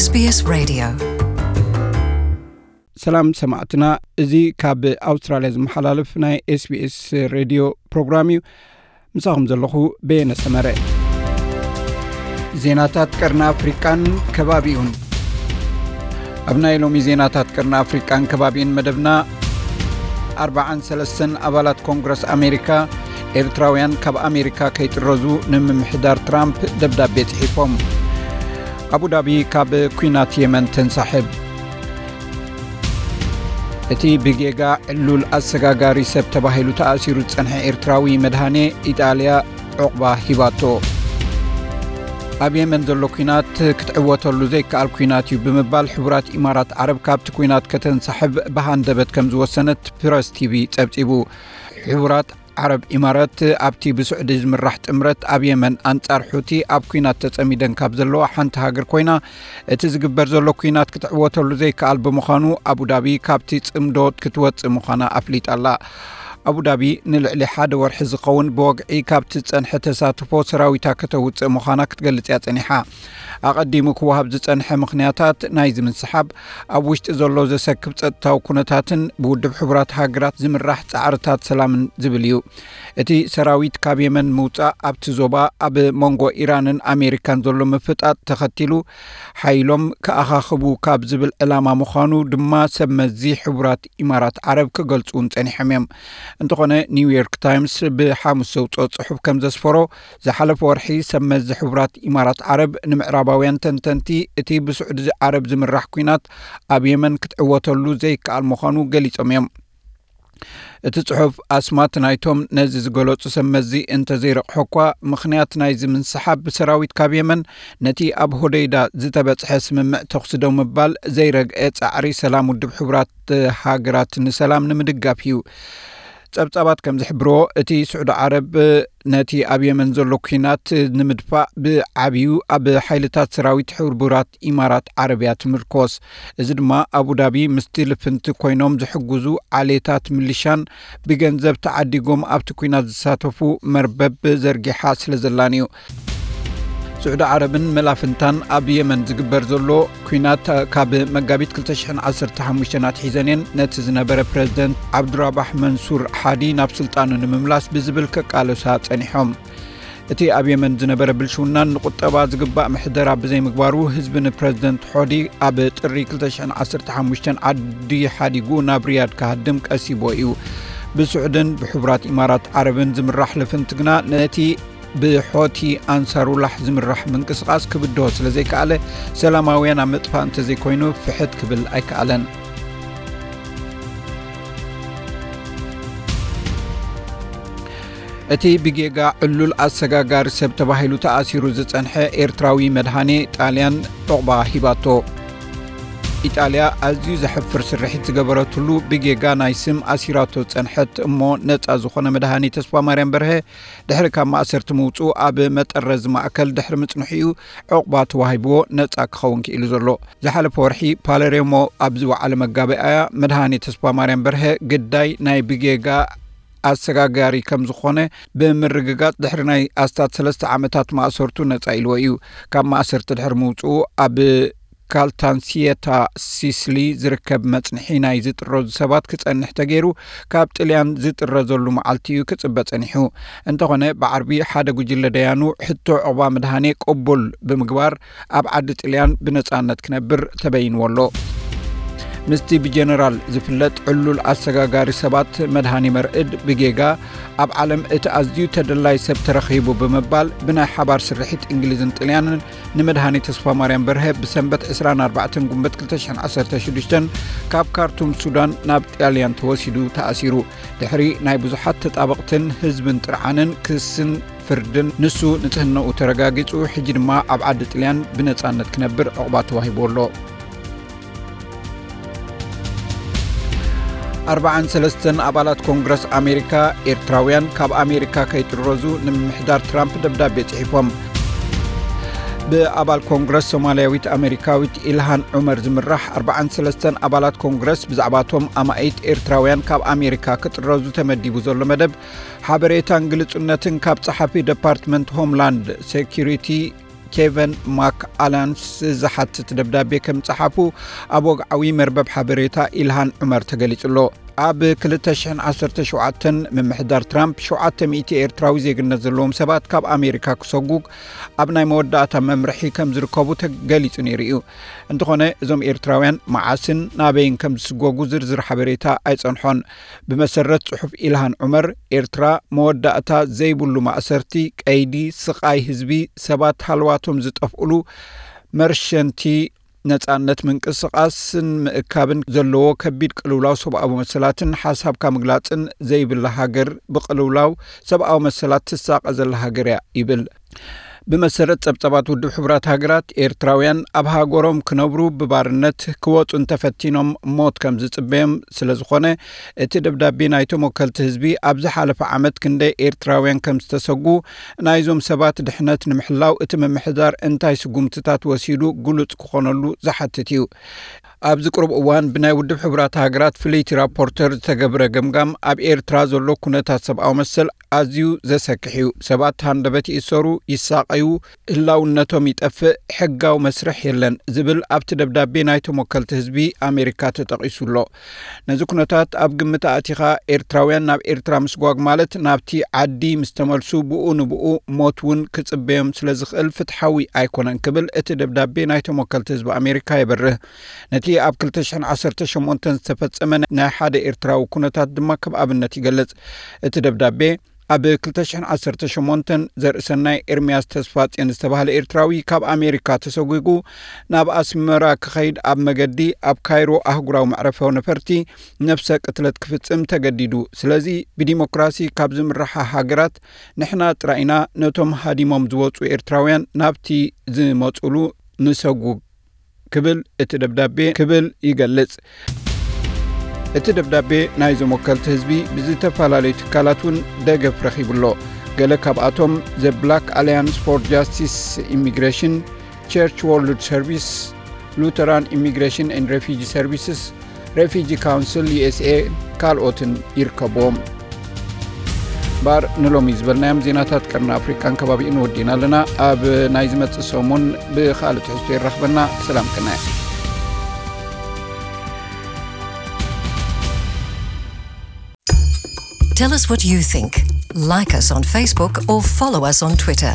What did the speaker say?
SBS Radio. ሰላም ሰማዕትና፣ እዚ ካብ ኣውስትራልያ ዝመሓላለፍ ናይ SBS ሬድዮ ፕሮግራም እዩ። ምሳኹም ዘለኹ በየነ ሰመረ። ዜናታት ቀርኒ ኣፍሪቃን ከባቢኡን። ኣብ ናይ ሎሚ ዜናታት ቀርኒ ኣፍሪቃን ከባቢኡን መደብና፣ ኣርባዓን ሰለስተን ኣባላት ኮንግረስ ኣሜሪካ፣ ኤርትራውያን ካብ ኣሜሪካ ከይጥረዙ ንምምሕዳር ትራምፕ ደብዳቤ ጽሒፎም። ኣቡዳቢ ካብ ኲናት የመን ተንሳሕብ። እቲ ብጌጋ ዕሉል ኣሰጋጋሪ ሰብ ተባሂሉ ተኣሲሩ ዝጸንሐ ኤርትራዊ መድሃኔ፣ ኢጣልያ ዑቕባ ሂባቶ። ኣብ የመን ዘሎ ኲናት ክትዕወተሉ ዘይከኣል ኲናት እዩ ብምባል፣ ሕቡራት ኢማራት ዓረብ ካብቲ ኲናት ከተንሳሕብ ብሃንደበት ከም ዝወሰነት ፕረስ ቲቪ ጸብጺቡ። ሕቡራት ዓረብ ኢማራት ኣብቲ ብስዑዲ ዝምራሕ ጥምረት ኣብ የመን ኣንጻር ሑቲ ኣብ ኲናት ተጸሚደን ካብ ዘለዋ ሓንቲ ሃገር ኮይና፣ እቲ ዝግበር ዘሎ ኲናት ክትዕወተሉ ዘይከኣል ብምዃኑ፣ ኣቡዳቢ ካብቲ ጽምዶ ክትወጽእ ምዃና ኣፍሊጣ ኣላ። ኣቡዳቢ ንልዕሊ ሓደ ወርሒ ዝኸውን ብወግዒ ካብቲ ዝጸንሐ ተሳትፎ ሰራዊታ ከተውጽእ ምዃና ክትገልጽ እያ ጸኒሓ። ኣቐዲሙ ክወሃብ ዝጸንሐ ምኽንያታት ናይዚ ምንስሓብ፣ ኣብ ውሽጢ ዘሎ ዘሰክፍ ጸጥታዊ ኩነታትን ብውድብ ሕቡራት ሃገራት ዝምራሕ ጻዕርታት ሰላምን ዝብል እዩ። እቲ ሰራዊት ካብ የመን ምውጻእ፣ ኣብቲ ዞባ ኣብ መንጎ ኢራንን ኣሜሪካን ዘሎ ምፍጣጥ ተኸቲሉ፣ ሓይሎም ክኣኻኽቡ ካብ ዝብል ዕላማ ምዃኑ ድማ ሰብ መዚ ሕቡራት ኢማራት ዓረብ ክገልጹ እውን ጸኒሖም እዮም። እንተኾነ፣ ኒውዮርክ ታይምስ ብሓሙስ ዘውጽኦ ጽሑፍ ከም ዘስፈሮ፣ ዝሓለፈ ወርሒ ሰብ መዚ ሕቡራት ኢማራት ዓረብ ንምዕራባውያን ተንተንቲ፣ እቲ ብስዑዲ ዓረብ ዝምራሕ ኲናት ኣብ የመን ክትዕወተሉ ዘይከኣል ምዃኑ ገሊጾም እዮም። እቲ ጽሑፍ ኣስማት ናይቶም ነዚ ዝገለጹ ሰብ መዚ እንተዘይረቕሖ እኳ፣ ምኽንያት ናይዚ ምንስሓብ ብሰራዊት ካብ የመን ነቲ ኣብ ሆደይዳ ዝተበጽሐ ስምምዕ ተኹሲ ደው ምባል ዘይረግአ ጻዕሪ ሰላም ውድብ ሕቡራት ሃገራት ንሰላም ንምድጋፍ እዩ። ጸብጻባት ከም ዝሕብርዎ፣ እቲ ስዑዲ ዓረብ ነቲ ኣብ የመን ዘሎ ኲናት ንምድፋእ ብዓብዩ ኣብ ሓይልታት ሰራዊት ሕቡራት ኢማራት ዓረብ እያ ትምርኮስ። እዚ ድማ ኣቡዳቢ ምስቲ ልፍንቲ ኮይኖም ዝሕግዙ ዓሌታት ሚሊሻን ብገንዘብ ተዓዲጎም ኣብቲ ኲናት ዝሳተፉ መርበብ ዘርጊሓ ስለ ዘላን እዩ። ስዑዲ ዓረብን መላፍንታን ኣብ የመን ዝግበር ዘሎ ኲናት ካብ መጋቢት ክልተ ሽሕን ዓሰርተ ሓሙሽተን ኣትሒዘን እየን ነቲ ዝነበረ ፕረዚደንት ዓብዱራባሕ መንሱር ሓዲ ናብ ስልጣኑ ንምምላስ ብዝብል ከቃለሳ ጸኒሖም። እቲ ኣብ የመን ዝነበረ ብልሽውናን ንቁጠባ ዝግባእ ምሕደራ ብዘይምግባሩ፣ ህዝቢ ንፕረዚደንት ሖዲ ኣብ ጥሪ ክልተ ሽሕን ዓሰርተ ሓሙሽተን ዓዲ ሓዲጉ ናብ ሪያድ ክሃድም ቀሲቦ እዩ። ብስዑድን ብሕቡራት ኢማራት ዓረብን ዝምራሕ ልፍንቲ ግና ነቲ ብሖቲ ኣንሳሩላሕ ዝምራሕ ምንቅስቓስ ክብድሆ ስለ ዘይከኣለ፣ ሰላማውያን ኣብ ምጥፋእ እንተዘይኮይኑ ፍሕት ክብል ኣይከኣለን። እቲ ብጌጋ ዕሉል ኣሰጋጋሪ ሰብ ተባሂሉ ተኣሲሩ ዝጸንሐ ኤርትራዊ መድሃኔ ጣልያን ዑቕባ ሂባቶ። ኢጣልያ ኣዝዩ ዘሕፍር ስርሒት ዝገበረትሉ ብጌጋ ናይ ስም ኣሲራቶ ዝጸንሐት እሞ ነጻ ዝኾነ መድሃኔ ተስፋማርያም በርሀ፣ ድሕሪ ካብ ማእሰርቲ ምውጽኡ ኣብ መጠረዚ ማእከል ድሕሪ ምጽንሑ እዩ ዑቕባ ተዋሂብዎ ነጻ ክኸውን ክኢሉ ዘሎ። ዝሓለፈ ወርሒ ፓለሬሞ ኣብ ዝወዓለ መጋበኣያ፣ መድሃኔ ተስፋማርያም በርሀ ግዳይ ናይ ብጌጋ ኣሰጋጋሪ ከም ዝኾነ ብምርግጋጽ፣ ድሕሪ ናይ ኣስታት ሰለስተ ዓመታት ማእሰርቱ ነጻ ኢልዎ እዩ። ካብ ማእሰርቲ ድሕሪ ምውጽኡ ኣብ ካልታንሲየታ ሲስሊ ዝርከብ መጽንሒ ናይ ዝጥረዙ ሰባት ክጸንሕ ተገይሩ፣ ካብ ጥልያን ዝጥረዘሉ መዓልቲ እዩ ክጽበ ጸኒሑ። እንተኾነ፣ ብዓርቢ ሓደ ጉጅለ ደያኑ ሕቶ ዑቕባ መድሃኔ ቅቡል ብምግባር፣ ኣብ ዓዲ ጥልያን ብነጻነት ክነብር ተበይንዎ ኣሎ። ምስቲ ብጀነራል ዝፍለጥ ዕሉል ኣሰጋጋሪ ሰባት መድሃኔ መርዕድ ብጌጋ ኣብ ዓለም እቲ ኣዝዩ ተደላይ ሰብ ተረኺቡ ብምባል፣ ብናይ ሓባር ስርሒት እንግሊዝን ጥልያንን ንመድሃኔ ተስፋማርያም በርሀ ብሰንበት ዕስራን ኣርባዕተን ጉንበት ክልተ ሽሕን ዓሰርተ ሽዱሽተን ካብ ካርቱም ሱዳን ናብ ጣልያን ተወሲዱ ተኣሲሩ። ድሕሪ ናይ ብዙሓት ተጣበቕትን ህዝብን ጥርዓንን፣ ክስን ፍርድን፣ ንሱ ንጽህናኡ ተረጋጊጹ፣ ሕጂ ድማ ኣብ ዓዲ ጥልያን ብነጻነት ክነብር ዕቑባ ተዋሂቡ ኣሎ። ኣርባዓን ሰለስተን ኣባላት ኮንግረስ ኣሜሪካ፣ ኤርትራውያን ካብ ኣሜሪካ ከይጥረዙ ንምምሕዳር ትራምፕ ደብዳቤ ጽሒፎም። ብኣባል ኮንግረስ ሶማልያዊት ኣሜሪካዊት ኢልሃን ዑመር ዝምራሕ ኣርባዓን ሰለስተን ኣባላት ኮንግረስ፣ ብዛዕባቶም ኣማኢት ኤርትራውያን ካብ ኣሜሪካ ክጥረዙ ተመዲቡ ዘሎ መደብ ሓበሬታን ግልጹነትን ካብ ጸሓፊ ደፓርትመንት ሆምላንድ ሴኩሪቲ ኬቨን ማክ ኣላንስ ዝሓትት ደብዳቤ ከም ጸሓፉ ኣብ ወግዓዊ መርበብ ሓበሬታ ኢልሃን ዑመር ተገሊጹ ኣሎ። ኣብ ክልተ ሽሕን ዓሰርተ ሸውዓተን ምምሕዳር ትራምፕ ሸውዓተ ሚእቲ ኤርትራዊ ዜግነት ዘለዎም ሰባት ካብ ኣሜሪካ ክሰጉ ኣብ ናይ መወዳእታ መምርሒ ከም ዝርከቡ ተገሊጹ ነይሩ እዩ። እንተኾነ እዞም ኤርትራውያን መዓስን ናበይን ከም ዝስጎጉ ዝርዝር ሓበሬታ ኣይጸንሖን። ብመሰረት ጽሑፍ ኢልሃን ዑመር፣ ኤርትራ መወዳእታ ዘይብሉ ማእሰርቲ፣ ቀይዲ፣ ስቓይ ህዝቢ፣ ሰባት ሃልዋቶም ዝጠፍእሉ፣ መርሸንቲ ነጻነት ምንቅስቓስን ምእካብን ዘለዎ ከቢድ ቅልውላው ሰብኣዊ መሰላትን ሓሳብካ ምግላጽን ዘይብላ ሃገር ብቅልውላው ሰብኣዊ መሰላት ትሳቐ ዘላ ሃገር እያ ይብል። ብመሰረት ጸብጻባት ውድብ ሕቡራት ሃገራት፣ ኤርትራውያን ኣብ ሃገሮም ክነብሩ ብባርነት ክወጹ እንተፈቲኖም ሞት ከም ዝጽበዮም ስለ ዝኾነ፣ እቲ ደብዳቤ ናይቶም ወከልቲ ህዝቢ ኣብ ዝሓለፈ ዓመት ክንደይ ኤርትራውያን ከም ዝተሰጉ ናይዞም ሰባት ድሕነት ንምሕላው እቲ ምምሕዳር እንታይ ስጉምትታት ወሲዱ ግሉጽ ክኾነሉ ዝሓትት እዩ። ኣብዚ ቅሩብ እዋን ብናይ ውድብ ሕቡራት ሃገራት ፍልይቲ ራፖርተር ዝተገብረ ገምጋም ኣብ ኤርትራ ዘሎ ኩነታት ሰብኣዊ መሰል ኣዝዩ ዘሰክሕ እዩ። ሰባት ሃንደበት ይእሰሩ፣ ይሳቐዩ፣ ህላውነቶም ይጠፍእ፣ ሕጋዊ መስርሕ የለን ዝብል ኣብቲ ደብዳቤ ናይቶም ወከልቲ ህዝቢ ኣሜሪካ ተጠቒሱ ኣሎ። ነዚ ኩነታት ኣብ ግምት ኣእቲኻ ኤርትራውያን ናብ ኤርትራ ምስጓግ ማለት ናብቲ ዓዲ ምስ ተመልሱ ብኡ ንብኡ ሞት እውን ክጽበዮም ስለ ዝኽእል ፍትሓዊ ኣይኮነን ክብል እቲ ደብዳቤ ናይቶም ወከልቲ ህዝቢ ኣሜሪካ የበርህ። ነቲ ኣብ ክልተ ሽሕን ዓሰርተ ሸሞንተን ዝተፈጸመ ናይ ሓደ ኤርትራዊ ኩነታት ድማ ከም ኣብነት ይገልጽ። እቲ ደብዳቤ ኣብ ክልተ ሽሕን ዓሰርተ ሸሞንተን ዘርእሰናይ ኤርምያስ ተስፋጽዮን ዝተባህለ ኤርትራዊ ካብ ኣሜሪካ ተሰጒጉ ናብ ኣስመራ ክኸይድ ኣብ መገዲ ኣብ ካይሮ ኣህጉራዊ መዕረፊ ነፈርቲ ነፍሰ ቅትለት ክፍጽም ተገዲዱ። ስለዚ ብዲሞክራሲ ካብ ዝምርሓ ሃገራት ንሕና ጥራይ ኢና ነቶም ሃዲሞም ዝወጹ ኤርትራውያን ናብቲ ዝመጹሉ ንሰጉግ ክብል እቲ ደብዳቤ ክብል ይገልጽ። እቲ ደብዳቤ ናይዞም ወከልቲ ህዝቢ ብዝተፈላለዩ ትካላት እውን ደገፍ ረኺቡ ኣሎ። ገለ ካብኣቶም The Black Alliance for Justice Immigration፣ Church World Service፣ Lutheran Immigration and Refugee Services፣ Refugee Council USA ካልኦትን ይርከብዎም። ባር ንሎሚ ዝበልናዮም ዜናታት ቀርኒ ኣፍሪቃን ከባቢኡን ወዲና ኣለና። ኣብ ናይ ዝመጽእ ሰሙን ብኻልእ ትሕዝቶ ይራኽበና። ሰላም ቅነ። Tell us what you think. Like us on Facebook or follow us on Twitter.